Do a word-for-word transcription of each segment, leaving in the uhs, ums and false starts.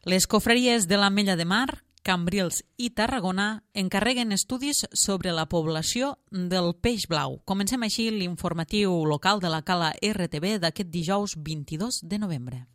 Les confraries de l'Ametlla de Mar, Cambrils i Tarragona encarreguen estudis sobre la població del peix blau. Comencem així l'informatiu local de la Cala R T B d'aquest dijous vint-i-dos de novembre.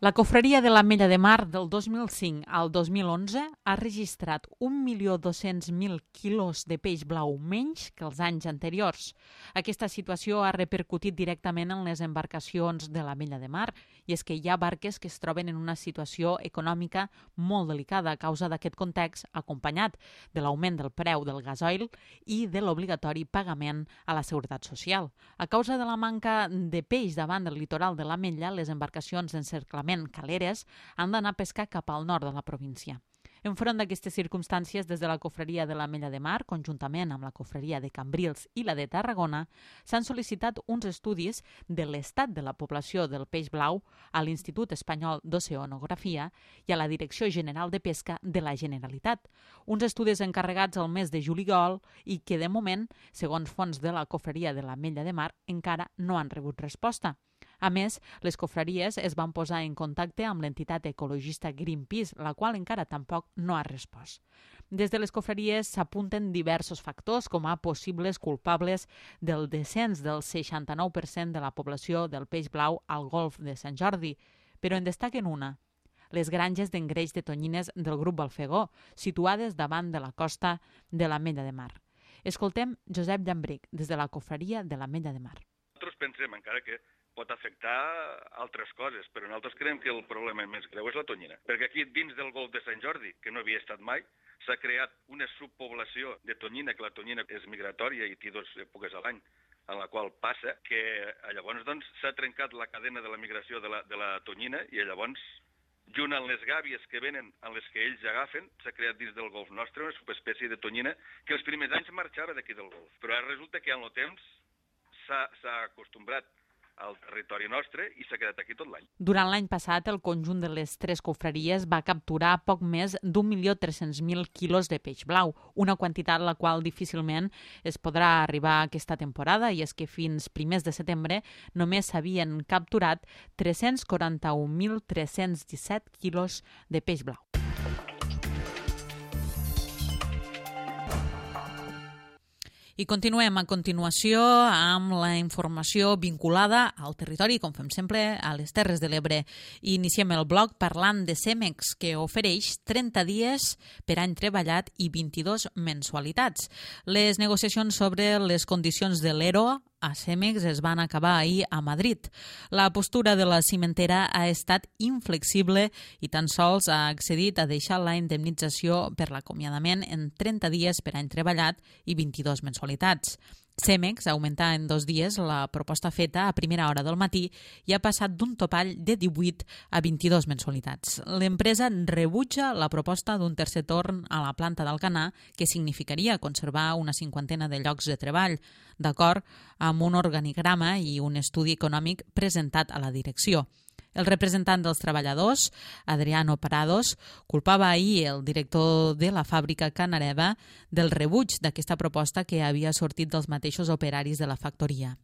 La confraria de l'Ametlla de Mar del dos mil cinc al dos mil onze ha registrat un milió dos-cents mil quilos de peix blau menys que els anys anteriors. Aquesta situació ha repercutit directament en les embarcacions de l'Ametlla de Mar, i és que hi ha barques que es troben en una situació econòmica molt delicada a causa d'aquest context, acompanyat de l'augment del preu del gasoil i de l'obligatori pagament a la Seguretat Social. A causa de la manca de peix davant del litoral de l'Ametlla, les embarcacions d'encerclament caleres han d'anar a pescar cap al nord de la província. Enfront d'aquestes circumstàncies, des de la confraria de l'Ametlla de Mar, conjuntament amb la confraria de Cambrils i la de Tarragona, s'han sol·licitat uns estudis de l'estat de la població del peix blau a l'Institut Espanyol d'Oceanografia i a la Direcció General de Pesca de la Generalitat. Uns estudis encarregats al mes de juliol i que, de moment, segons fonts de la confraria de l'Ametlla de Mar, encara no han rebut resposta. A més, les confraries es van posar en contacte amb l'entitat ecologista Greenpeace, la qual encara tampoc no ha respost. Des de les confraries s'apunten diversos factors com a possibles culpables del descens del seixanta-nou per cent de la població del peix blau al golf de Sant Jordi, però en destaquen una: les granges d'engreix de tonyines del grup Balfegó, situades davant de la costa de l'Ametlla de Mar. Escoltem Josep Llambric, des de la confraria de l'Ametlla de Mar. Nosaltres pensem, encara que pot afectar altres coses, però nosaltres creiem que el problema més greu és la tonyina. Perquè aquí, dins del golf de Sant Jordi, que no havia estat mai, s'ha creat una subpoblació de tonyina, que la tonyina és migratòria i té dues èpoques a l'any, en la qual passa que llavors doncs, s'ha trencat la cadena de la migració de la, de la tonyina i llavors, junt amb les gàbies que venen, en les que ells agafen, s'ha creat dins del golf nostre una subespècie de tonyina que els primers anys marxava d'aquí del golf. Però ara resulta que amb el temps s'ha acostumbrat al territori nostre i s'ha quedat aquí tot l'any. Durant l'any passat, el conjunt de les tres confraries va capturar poc més d'un milió tres-cents mil quilos de peix blau, una quantitat la qual difícilment es podrà arribar aquesta temporada, i és que fins primers de setembre només s'havien capturat tres-cents quaranta-un mil tres-cents disset quilos de peix blau. I continuem a continuació amb la informació vinculada al territori, com fem sempre, a les Terres de l'Ebre. Iniciem el bloc parlant de Cemex, que ofereix trenta dies per any treballat i vint-i-dos mensualitats. Les negociacions sobre les condicions de l'E R O a Cemex es van acabar ahir a Madrid. La postura de la cimentera ha estat inflexible i tan sols ha accedit a deixar la indemnització per l'acomiadament en trenta dies per any treballat i vint-i-dos mensualitats. Cemex augmenta en dos dies la proposta feta a primera hora del matí i ha passat d'un topall de divuit a vint-i-dos mensualitats. L'empresa rebutja la proposta d'un tercer torn a la planta d'Alcanar, que significaria conservar una cinquantena de llocs de treball, d'acord amb un organigrama i un estudi econòmic presentat a la direcció. El representant dels treballadors, Adriano Parados, culpava ahir el director de la fàbrica Canareva del rebuig d'aquesta proposta que havia sortit dels mateixos operaris de la factoria.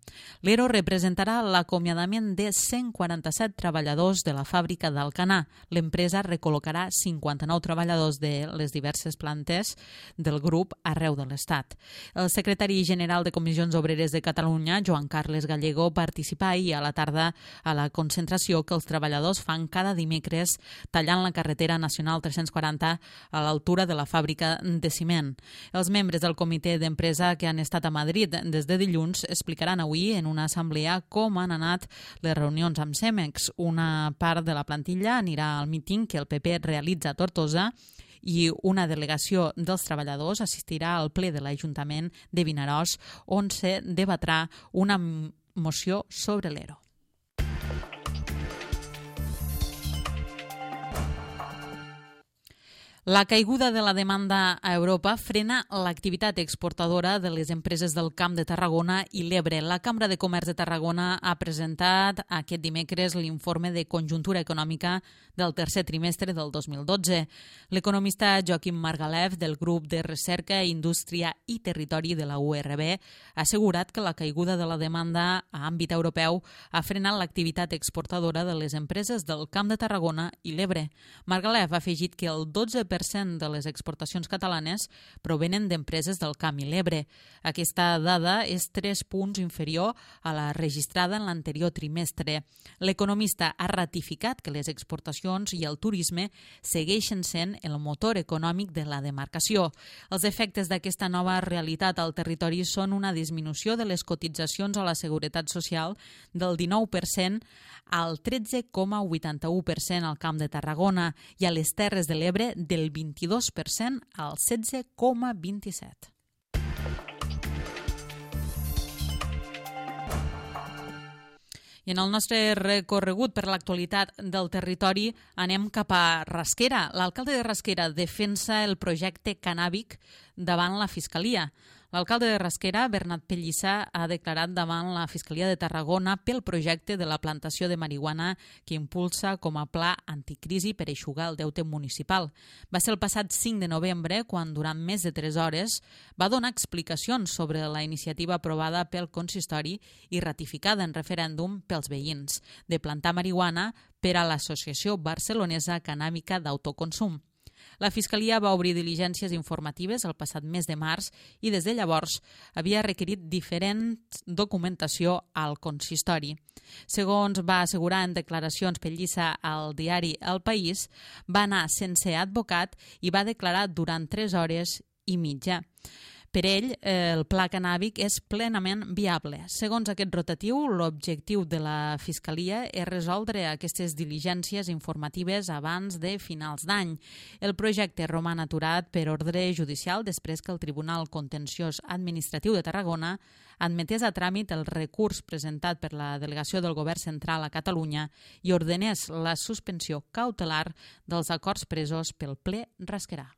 L'E R O representarà l'acomiadament de cent quaranta-set treballadors de la fàbrica d'Alcanar. L'empresa recol·locarà cinquanta-nou treballadors de les diverses plantes del grup arreu de l'Estat. El secretari general de Comissions Obreres de Catalunya, Joan Carles Gallego, participa ahir a la tarda a la concentració que els treballadors fan cada dimecres tallant la carretera nacional tres-cents quaranta a l'altura de la fàbrica de ciment. Els membres del comitè d'empresa que han estat a Madrid des de dilluns explicaran avui en una assemblea com han anat les reunions amb Cemex. Una part de la plantilla anirà al míting que el P P realitza a Tortosa i una delegació dels treballadors assistirà al ple de l'Ajuntament de Vinaròs, on se debatrà una moció sobre l'E R O. La caiguda de la demanda a Europa frena l'activitat exportadora de les empreses del Camp de Tarragona i l'Ebre. La Cambra de Comerç de Tarragona ha presentat aquest dimecres l'informe de conjuntura econòmica del tercer trimestre del dos mil dotze. L'economista Joaquim Margalef, del grup de recerca, indústria i territori de la U R B, ha assegurat que la caiguda de la demanda a àmbit europeu ha frenat l'activitat exportadora de les empreses del Camp de Tarragona i l'Ebre. Margalef ha afegit que el dotze per cent de les exportacions catalanes provenen d'empreses del Camp i l'Ebre. Aquesta dada és tres punts inferior a la registrada en l'anterior trimestre. L'economista ha ratificat que les exportacions i el turisme segueixen sent el motor econòmic de la demarcació. Els efectes d'aquesta nova realitat al territori són una disminució de les cotitzacions a la Seguretat Social del dinou per cent al tretze coma vuitanta-u per cent al Camp de Tarragona i a les Terres de l'Ebre del vint-i-dos per cent al setze coma vint-i-set per cent. I en el nostre recorregut per l'actualitat del territori anem cap a Rasquera. L'alcalde de Rasquera defensa el projecte cannàbic davant la Fiscalia. L'alcalde de Rasquera, Bernat Pellissa, ha declarat davant la Fiscalia de Tarragona pel projecte de la plantació de marihuana que impulsa com a pla anticrisi per eixugar el deute municipal. Va ser el passat cinc de novembre quan, durant més de tres hores, va donar explicacions sobre la iniciativa aprovada pel consistori i ratificada en referèndum pels veïns de plantar marihuana per a l'Associació Barcelonesa Cannàbica d'Autoconsum. La Fiscalia va obrir diligències informatives el passat mes de març i des de llavors havia requerit diferent documentació al consistori. Segons va assegurar en declaracions Pellissa al diari El País, va anar sense advocat i va declarar durant tres hores i mitja. Per ell, el pla cannàbic és plenament viable. Segons aquest rotatiu, l'objectiu de la Fiscalia és resoldre aquestes diligències informatives abans de finals d'any. El projecte roman aturat per ordre judicial després que el Tribunal Contenciós Administratiu de Tarragona admetés a tràmit el recurs presentat per la delegació del Govern Central a Catalunya i ordenés la suspensió cautelar dels acords presos pel ple rasquerà.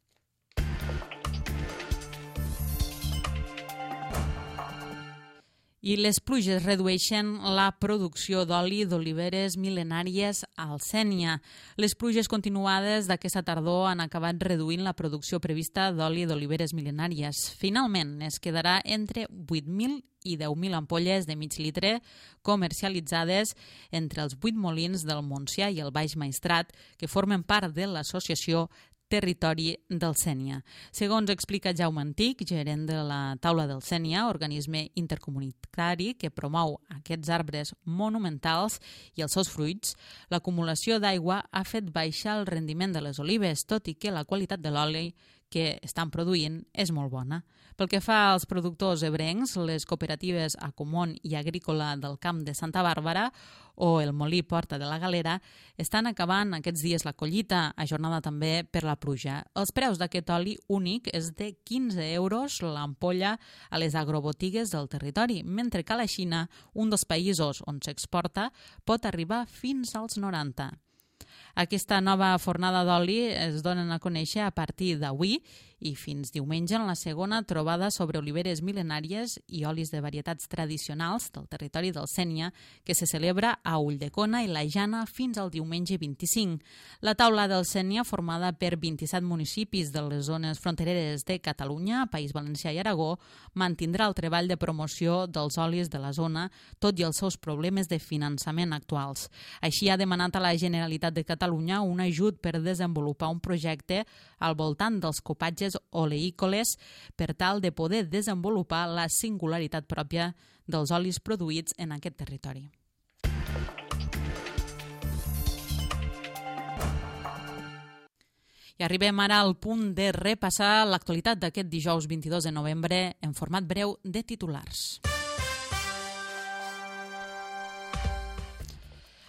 I les pluges redueixen la producció d'oli d'oliveres mil·lenàries al Sénia. Les pluges continuades d'aquesta tardor han acabat reduint la producció prevista d'oli d'oliveres mil·lenàries. Finalment, es quedarà entre vuit mil i deu mil ampolles de mig litre comercialitzades entre els vuit molins del Montsià i el Baix Maestrat, que formen part de l'associació Territori del Sénia. Segons explica Jaume Antic, gerent de la Taula del Sénia, organisme intercomunitari que promou aquests arbres monumentals i els seus fruits, l'acumulació d'aigua ha fet baixar el rendiment de les olives, tot i que la qualitat de l'oli que estan produint és molt bona. Pel que fa als productors ebrencs, les cooperatives Acomon i Agrícola del Camp de Santa Bàrbara o el Molí Porta de la Galera estan acabant aquests dies la collita, ajornada també per la pluja. Els preus d'aquest oli únic és de quinze euros l'ampolla a les agrobotigues del territori, mentre que a la Xina, un dels països on s'exporta, pot arribar fins als noranta. Aquesta nova fornada d'oli es donen a conèixer a partir d'avui i fins diumenge en la segona trobada sobre oliveres mil·lenàries i olis de varietats tradicionals del territori del Sénia, que se celebra a Ulldecona i la Jana fins al diumenge vint-i-cinc. La taula del Sénia, formada per vint-i-set municipis de les zones frontereres de Catalunya, País Valencià i Aragó, mantindrà el treball de promoció dels olis de la zona, tot i els seus problemes de finançament actuals. Així ha demanat a la Generalitat de Catalunya un ajut per desenvolupar un projecte al voltant dels copatges oleícoles per tal de poder desenvolupar la singularitat pròpia dels olis produïts en aquest territori. I arribem ara al punt de repassar l'actualitat d'aquest dijous vint-i-dos de novembre en format breu de titulars.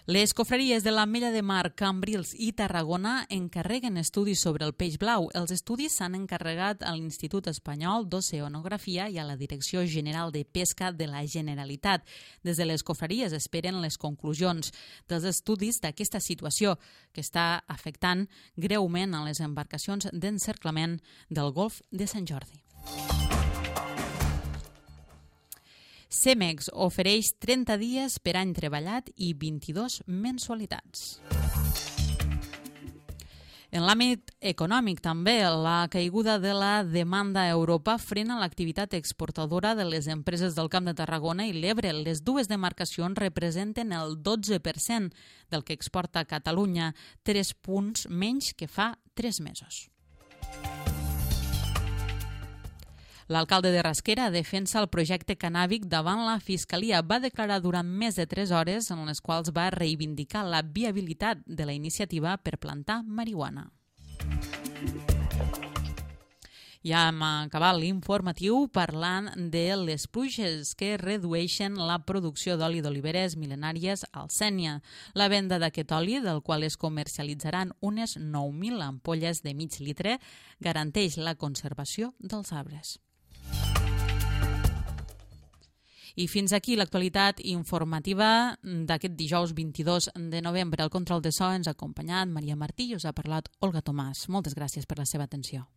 Les confraries de l'Ametlla de Mar, Cambrils i Tarragona encarreguen estudis sobre el peix blau. Els estudis s'han encarregat a l'Institut Espanyol d'Oceanografia i a la Direcció General de Pesca de la Generalitat. Des de les confraries esperen les conclusions dels estudis d'aquesta situació que està afectant greument a les embarcacions d'encerclament del Golf de Sant Jordi. Cemex ofereix trenta dies per any treballat i vint-i-dos mensualitats. En l'àmbit econòmic també, la caiguda de la demanda a Europa frena l'activitat exportadora de les empreses del Camp de Tarragona i l'Ebre. Les dues demarcacions representen el dotze per cent del que exporta Catalunya, tres punts menys que fa tres mesos. L'alcalde de Rasquera defensa el projecte cannàbic davant la Fiscalia. Va declarar durant més de tres hores en les quals va reivindicar la viabilitat de la iniciativa per plantar marihuana. Ja hem acabat l'informatiu parlant de les pluges que redueixen la producció d'oli d'oliveres mil·lenàries al Sénia. La venda d'aquest oli, del qual es comercialitzaran unes nou mil ampolles de mig litre, garanteix la conservació dels arbres. I fins aquí l'actualitat informativa d'aquest dijous vint-i-dos de novembre. Al control de so ens ha acompanyat Maria Martí i us ha parlat Olga Tomàs. Moltes gràcies per la seva atenció.